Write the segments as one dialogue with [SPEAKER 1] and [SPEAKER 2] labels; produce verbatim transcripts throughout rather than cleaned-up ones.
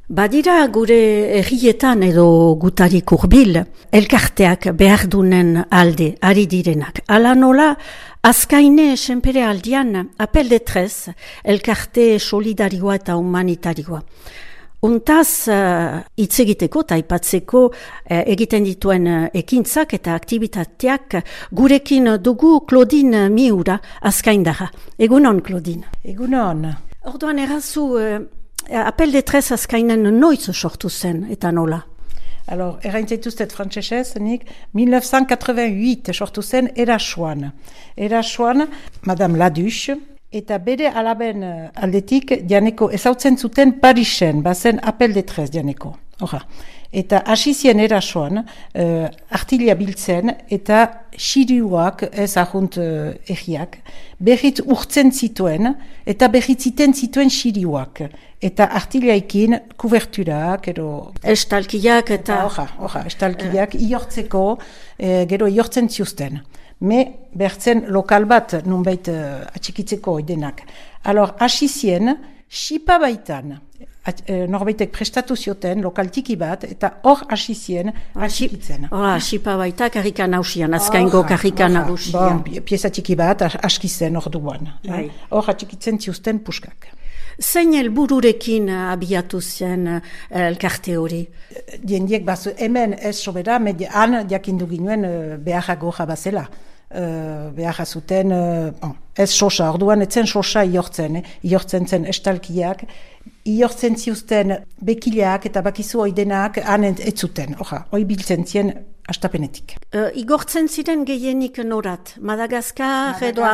[SPEAKER 1] Badira gure herrietan edo gutarik hurbil, elkarteak behar dunen alde, ari direnak. Ala nola, azkaine senpere aldian, apel de trez, elkarte solidarioa eta humanitarioa. Untaz, hitz egiteko eta aipatzeko uh, egiten dituen uh, ekintzak eta aktivitateak gurekin dugu Claudine Miura azkaindarra. Egunon, Claudine.
[SPEAKER 2] Egunon.
[SPEAKER 1] Orduan errazu, uh, apel de trez azkainen noiz sortu zen eta nola?
[SPEAKER 2] Alors, erraintzaituztet frantsesez, nik mille neuf cent quatre-vingt-huit sortu zen Erasoan. Erasoan, Madame Laduche, eta bere alaben aldetik dianeko ezautzen zuten Parisen, bazen apel de trez dianeko. Hora. Eta hasizien Erasoan, uh, artilia biltzen eta xiriuak, ez ahunt uh, egiak, berriz urtzen zituen eta berriz ziten zituen xiriuak. Eta artiliaikin kuberturak, ero...
[SPEAKER 1] Estalkiak eta...
[SPEAKER 2] Hora, hora, estalkiak uh. iortzeko, eh, gero iortzen ziuzten. Me bertzen lokal bat nunbait uh, atxikitzeko oidenak. Alor, hasizien, xipa baitan, at, uh, norbaitek prestatu zioten, lokal tiki bat, eta hor hasizien atxikitzen.
[SPEAKER 1] Hora, xipa baita karrika nausian, azkaingo karrika nausian.
[SPEAKER 2] Bon, pieza tiki bat askizen hor duan. Hor atxikitzen ziuzten puskak.
[SPEAKER 1] Zein helbururekin abiatu zen elkarte hori?
[SPEAKER 2] Diendiek bazu, hemen ez sobera, han jakindu ginuen beharra goja bazela. Uh, beharra zuten, uh, oh, ez sosa, orduan etzen sosa iortzen, eh? Iortzen zen estalkiak, iortzen ziuzten bekileak eta bakizu oidenak han ez zuten, oha, oi biltzen zien astapenetik.
[SPEAKER 1] Uh, igortzen ziren gehienik norat, Madagaskar edo...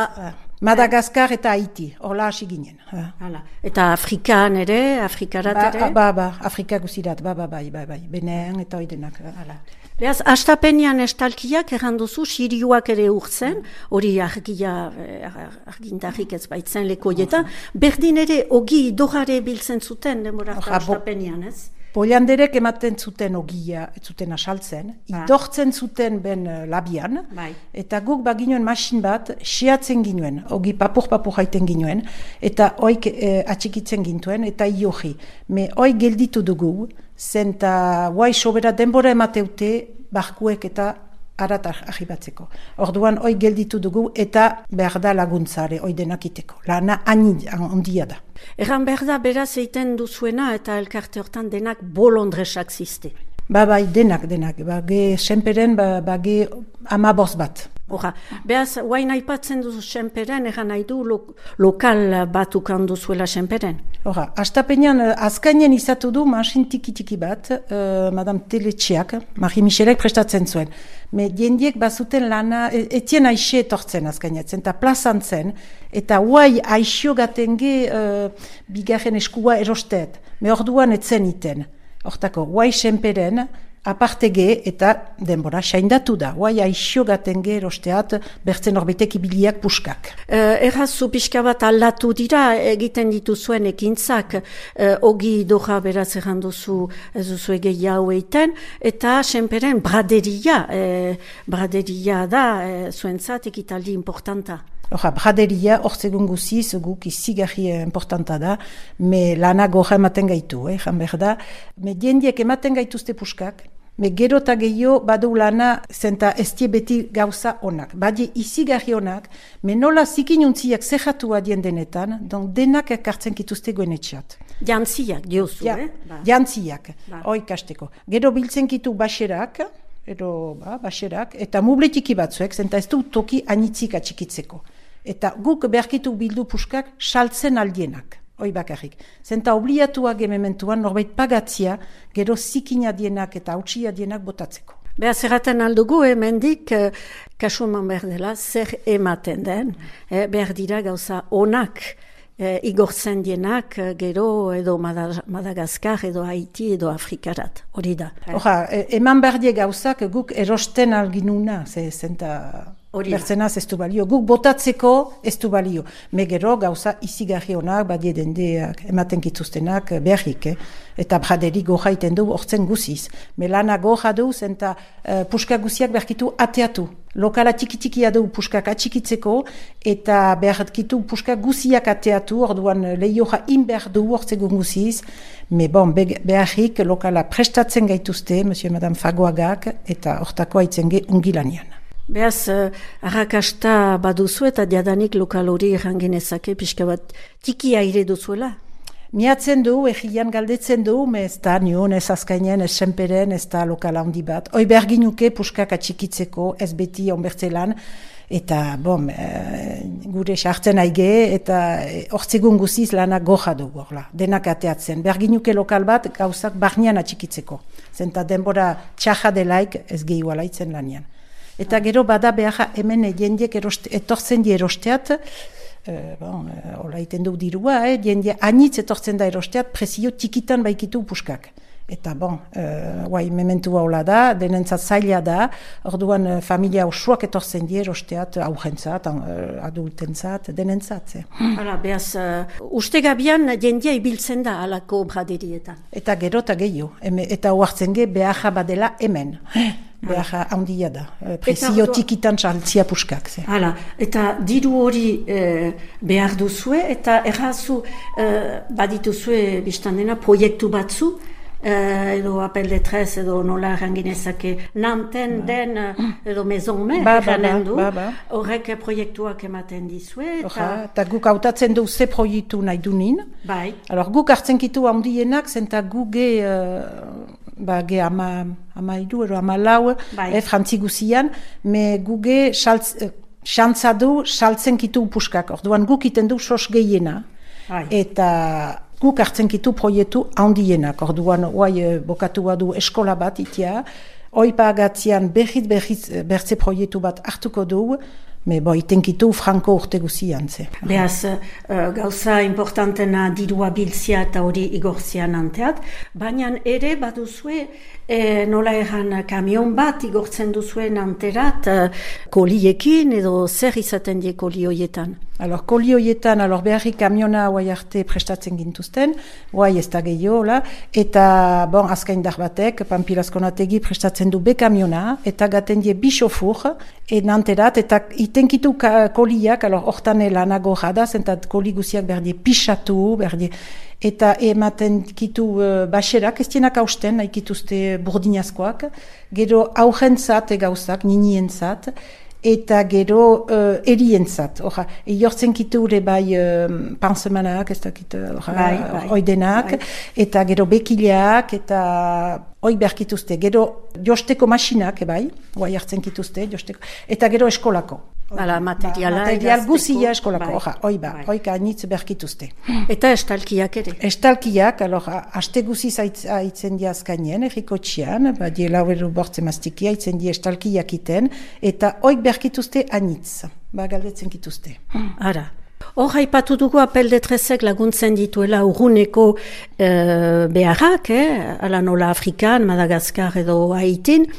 [SPEAKER 2] Madagaskar eta Haiti, horla hasi ginen.
[SPEAKER 1] Hala. Eta Afrikan ere, Afrikarat ere?
[SPEAKER 2] Ba, ba, ba, Afrika guzirat, ba, ba, bai, bai, bai, Benean eta oidenak. Hala.
[SPEAKER 1] Beaz, astapenean estalkiak erranduzu, xiriuak ere urtzen, hori argia, argintarrik ez baitzen lekoietan, berdin ere ogi dogare biltzen zuten, demorata astapenean, ez?
[SPEAKER 2] Polianderek ematen zuten ogia, ez zuten asaltzen, ba. Idortzen zuten ben labian, bai. Eta guk baginoen masin bat, siatzen ginuen, ogi papur-papur haiten ginuen, eta oik eh, atxikitzen gintuen, eta iohi. Me oik gelditu dugu, zenta guai sobera denbora emateute, barkuek eta arat ahibatzeko. Orduan oik gelditu dugu, eta behar da laguntzare, oi denakiteko. Lana handia da.
[SPEAKER 1] Erran behar da, beraz eiten duzuena eta elkarte hortan denak bolondresak ziste.
[SPEAKER 2] Ba, bai, denak, denak. Bage senperen, ba, bage amaboz bat.
[SPEAKER 1] Hora, behaz, guain aipatzen duzu senperen, erran nahi du lo, lokal batukan duzuela senperen?
[SPEAKER 2] Hora, astapenean, azkainen izatu du masin tiki-tiki bat, uh, Madame Teletxeak, Marie Michelek prestatzen zuen. Me diendiek bazuten lana, etien aixe etortzen azkainatzen, eta plazan zen, eta guai aixo gatenge uh, bigarren eskua erosteet. Me orduan etzen iten. Hortako, guai senperen, apartege eta denbora saindatu da. Guai aixo gatenge erosteat bertzen horbeitek ibiliak puskak.
[SPEAKER 1] Uh, Errazu pixka bat aldatu dira egiten dituzuen ekintzak, uh, ogi doja beraz erranduzu ez duzu egei hau eiten, eta senperen braderia, eh, braderia da eh, zuentzat ekitaldi importanta.
[SPEAKER 2] Hora, braderia, hor zegoen guziz, guk izigarri importanta da, me lana goja ematen gaitu, eh, jan behar da. Me diendiek ematen gaituzte puskak, me gero eta gehiago badu lana zenta estie beti gauza onak. Badi izigarri onak, me nola zikinuntziak zehatu adien denetan, don denak ekartzen kituzte goenetxeat.
[SPEAKER 1] Jantziak, diozu,
[SPEAKER 2] ja,
[SPEAKER 1] eh?
[SPEAKER 2] Ba. Jantziak, ba. Oikasteko. Gero biltzen kitu baxerak, edo ba, baxerak, eta mubletiki batzuek, zenta ez du toki anitzik atxikitzeko. Eta guk beharkitu bildu puskak saltzen aldienak, hoi bakarrik. Zenta obliatuak emementuan norbait pagatzia, gero zikina dienak eta hautsia dienak botatzeko.
[SPEAKER 1] Beaz erraten aldugu, hemendik, eh, kasuman behar dela, zer ematen den, eh, behar dira gauza onak, eh, igortzen dienak, gero edo Madagaskar, edo Haiti, edo Afrikarat, hori da.
[SPEAKER 2] Hora, eman behar die gauzak guk erosten alginuna, ze zenta... Bertzenaz ez du balio. Guk botatzeko ez du balio. Me gero gauza izigarri honak, badie dendeak, ematen kituztenak berrik, eh? Eta braderi goja iten du hortzen guziz. Melana goja du, zenta uh, puska guziak berkitu ateatu. Lokala txiki-txikia du puskak atxikitzeko, eta berkitu puska guziak ateatu, orduan lehioja inber du hortzegun guziz. Me bon, beharrik lokala prestatzen gaituzte, Monsieur et Madame Fagoagak, eta hortako haitzen ge ungilanian.
[SPEAKER 1] Beaz, uh, arrakasta baduzu eta diadanik lokal hori errangenezake, pixka bat tiki aire duzuela?
[SPEAKER 2] Miatzen du, egian galdetzen du, me ez da nion, ez azkainen, ez senperen, ez da lokal handi bat. Hoi berginuke puskak atxikitzeko, ez beti onbertzelan, eta bom, e, gure sartzen aige, eta hortzegun guziz lanak goja du, gorla, denak ateatzen. Berginuke lokal bat gauzak barnean atxikitzeko. Zenta denbora txaja delaik ez gehiu alaitzen lanian. Eta gero bada behar hemen jendiek etortzen di erosteat, e, bon, e, hola iten du dirua, eh, jendie anitz etortzen da erosteat, presio txikitan baikitu puskak. Eta bon, e, guai, mementua hola da, denentzat zaila da, orduan e, familia osoak etortzen di erosteat, aurrentzat, adultentzat, denentzat. Eh.
[SPEAKER 1] Hala, behaz, uh, uste gabian jendia ibiltzen da alako braderietan.
[SPEAKER 2] Eta gero eta gehiago, eta oartzen ge behar badela hemen. Behar handia da, presio tikitan txaltzia puskak.
[SPEAKER 1] Hala, eta diru hori e, behar duzue, eta errazu e, badituzue biztan dena proiektu batzu, e, edo apel de tres, edo nola erranginezake, nanten ba. Den, edo maison me, ba, erranen du, ba, ba. Horrek proiektuak ematen dizue. Eta
[SPEAKER 2] Eta guk hautatzen du ze proiektu nahi dunin.
[SPEAKER 1] Bai.
[SPEAKER 2] Alors, guk hartzen kitu handienak, zenta guge... Uh, ba, ge ama, ama idu, ero ama lau, eh, frantzi guzian, me guge xantza du saltzen kitu puskak. Orduan guk iten du sos gehiena, bai. Eta guk hartzen kitu proiektu handienak. Orduan, oai, bokatua du eskola bat itia, oipa agatzian berriz berriz bertze proiektu bat hartuko du, me bo itenkitu franko urte guzian, ze.
[SPEAKER 1] Beaz, uh, gauza importantena dirua biltzia eta hori igortzian anteat, baina ere baduzue e, nola erran kamion bat igortzen duzuen anterat uh, koliekin edo zer izaten die koli hoietan?
[SPEAKER 2] Alor, koli hoietan, alor beharri kamiona guai arte prestatzen gintuzten, guai ez da gehiago, eta bon, azkain dar batek, Pampilazkonategi prestatzen du be kamiona, eta gaten die bi xofur, enanterat, eta itenkitu koliak, alor, hortan lanago jada, zentat koli guziak berdie pixatu, berdie, eta ematen kitu uh, baxerak, ez dienak hausten, nahi kituzte burdinazkoak, gero aurrentzat egauzak, ninientzat, eta gero uh, erientzat. Oja, jortzen kiture bai uh, pansemanak, ez dakit, bai, bai, oidenak, bai. Eta gero bekileak, eta hoi berkituzte. Gero josteko masinak, bai, guai hartzen kituzte, josteko, eta gero eskolako.
[SPEAKER 1] Hala, materiala.
[SPEAKER 2] Ba, material guzia eskolako, bai, oja, oi ba, bai. Oika anitz berkituzte.
[SPEAKER 1] Eta estalkiak ere?
[SPEAKER 2] Estalkiak, alor, aste guziz haitzen di azkainen, erriko txian, ba, die laueru bortze maztiki, haitzen di estalkiak iten, eta oik berkituzte anitz, ba, galdetzen kituzte.
[SPEAKER 1] Ara. Hor haipatu dugu apel de tresek laguntzen dituela urruneko e, beharrak, eh? Ala nola Afrikan, Madagaskar edo Haitin,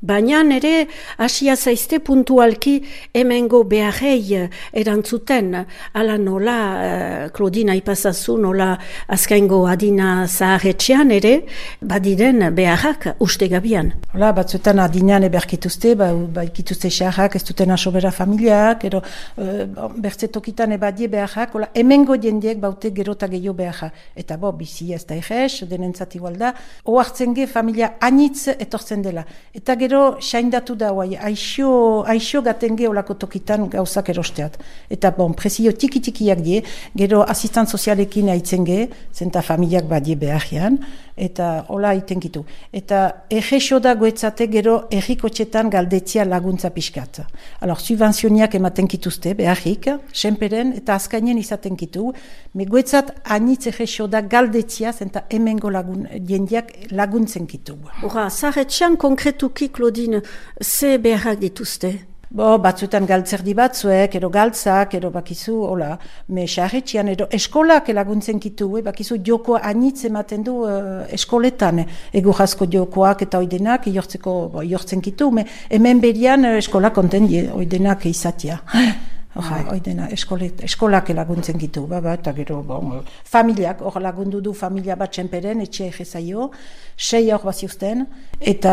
[SPEAKER 1] baina ere hasia zaizte puntualki hemengo beharrei erantzuten, ala nola, uh, Claudine aipazazu, nola azkaingo adina zaharretxean ere, badiren beharrak uste gabian.
[SPEAKER 2] Hola, batzuetan adinean eberkituzte, ba, ba ikituzte xarrak, ez duten asobera familiak, ero uh, bertze tokitan ebadie beharrak, hola, hemengo jendiek baute gerota gehiago beharrak. Eta bo, bizi ez da egez, denentzat igual da, oartzen ge familia anitz etortzen dela. Eta gero saindatu da, guai, aixo, aixo gaten geholako tokitan gauzak erosteat. Eta bon, presio tiki-tikiak die, gero asistan sozialekin haitzen ge, zenta familiak badie beharrian, eta hola haitenkitu. Eta errexo da goetzate gero errikotxetan galdetzia laguntza pixkat. Alor, subvenzioniak ematen kituzte, beharrik, senperen eta azkainen izaten kitu, me goetzat anitz errexo da galdetzia, zenta hemengo lagun, jendiak laguntzen kitu.
[SPEAKER 1] Hora, zahetxean konkretuki, Claudine, ze beharrak dituzte?
[SPEAKER 2] Bo, batzuetan galtzerdi batzuek, edo galtzak, edo bakizu, hola, me xarretxian, edo eskolak laguntzen kitu, eh, bakizu joko anitz ematen du uh, eskoletan, ego jasko jokoak eta oidenak, iortzeko, bo, iortzen kitu, me, hemen berian uh, eskolak konten die, oidenak izatia. Oja, oidena, eskolet, eskolak laguntzen gitu, ba, ba, eta gero, bon, familiak, hor lagundu du familia bat txenperen, etxea egezaio, sei hor baziuzten, eta,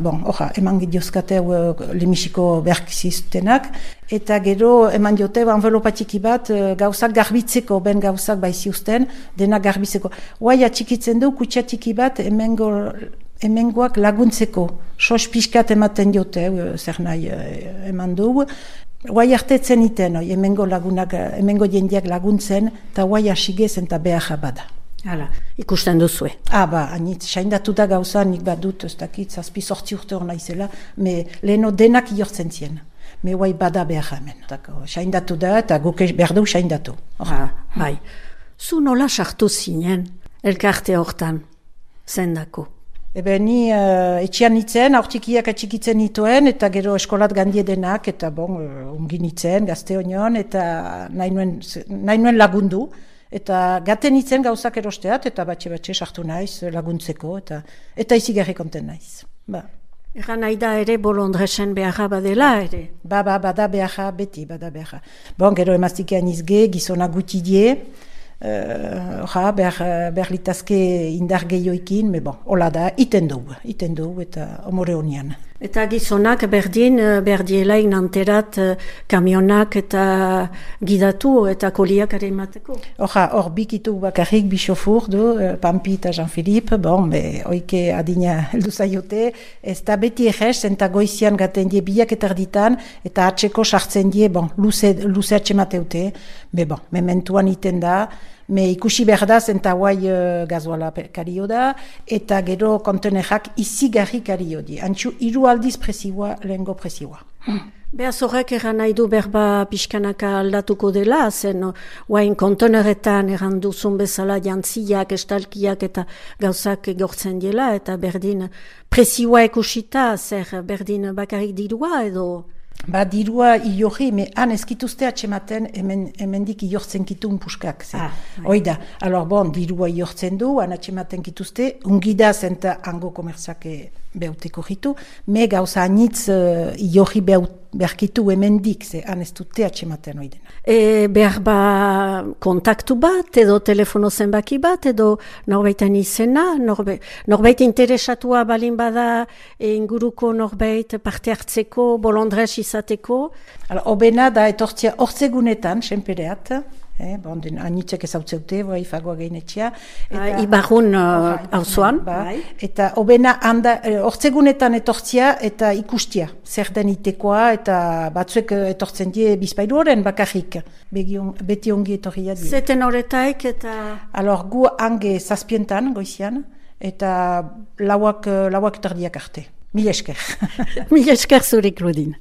[SPEAKER 2] bon, oja, eman gidiozkate uh, lemisiko berkiziztenak, eta gero, eman diote, envelopatiki bat, uh, gauzak garbitzeko, ben gauzak baiziuzten, denak garbitzeko. Guai atxikitzen du, kutsiatiki bat, emengo, emengoak laguntzeko, sos pixkat ematen diote, uh, zer nahi uh, eman du, guai artetzen iten, oi, emengo lagunak, emengo jendiak laguntzen, eta guai asigezen eta behar bada.
[SPEAKER 1] Hala, ikusten duzue.
[SPEAKER 2] Ah, ba, anit, saindatu da gauza, nik badut, ez dakit, zazpi sortzi urte hor naizela, me leheno denak iortzen zien. Me guai bada behar hemen. Saindatu da, eta guk behar du saindatu.
[SPEAKER 1] Ah, bai. Zu nola sartu zinen, elkarte hortan, zendako?
[SPEAKER 2] Ebe ni uh, etxian nitzen, aurtikiak atxikitzen nituen, eta gero eskolat gandie denak, eta bon, uh, ungi nitzen, gazte honion, eta nahi nuen, nahi nuen lagundu, eta gaten nitzen gauzak erosteat, eta batxe-batxe sartu naiz laguntzeko, eta eta izigarri konten naiz. Ba.
[SPEAKER 1] Egan nahi da ere bolondresen beharra badela ere?
[SPEAKER 2] Ba, ba, bada beharra, beti, bada beharra. Bon, gero emaztikean izge, gizona gutidie, Uh, ja, behar, behar litazke indar gehioikin, me bon, hola da, iten dugu, iten dugu eta omore honian.
[SPEAKER 1] Eta gizonak berdin, berdielaik nanterat kamionak eta gidatu eta koliak ere emateko?
[SPEAKER 2] Hoja, hor bikitu bakarrik bisofur du, Pampi eta Jean-Philippe, bon, be, oike adina heldu zaiote, ez da beti egez, enta goizian gaten die biak eta erditan, eta atxeko sartzen die, bon, luze, luze atxemateute, be bon, mementuan iten da, me ikusi behar da, zenta guai uh, gazoala kario da, eta gero kontenerak izigarri kario di. Antxu, hiru aldiz presioa, lehengo presioa. Hmm.
[SPEAKER 1] Behaz horrek eran nahi du berba pixkanaka aldatuko dela, zen guain konteneretan eran duzun bezala jantziak, estalkiak eta gauzak egortzen dela, eta berdin presioa ekusita, zer berdin bakarrik dirua edo...
[SPEAKER 2] Ba, dirua iorri, me han ezkituzte atxematen hemen, hemendik iortzen kitun puskak. Ah, Oida, alor bon, dirua iortzen du, han atxematen kituzte, ungida zenta hango komertzake behauteko jitu, me gauza anitz uh, iorri beharkitu hemendik, ze han ez dute atxematen oidena.
[SPEAKER 1] E, behar ba kontaktu bat, edo telefono zenbaki bat, edo norbaitan izena, norbe, norbait interesatua balin bada e, inguruko norbait parte hartzeko, bolondrez izateko?
[SPEAKER 2] Hala, obena da etortzia hortzegunetan, senpereat, eh, bon, den anitzek ezautzeute, bai, fagoa gehinetxea.
[SPEAKER 1] Ibarrun hauzuan.
[SPEAKER 2] Ba, eta obena handa, hortzegunetan etortzia eta ikustia, zer den itekoa, eta batzuek etortzen die bizpailu horren bakarrik, Begion, beti ongi etorria die.
[SPEAKER 1] Zeten horretaik eta...
[SPEAKER 2] Alor, gu hange zazpientan, goizian, eta lauak, lauak tardiak arte. Mil esker.
[SPEAKER 1] Mil esker zurik, Rudin.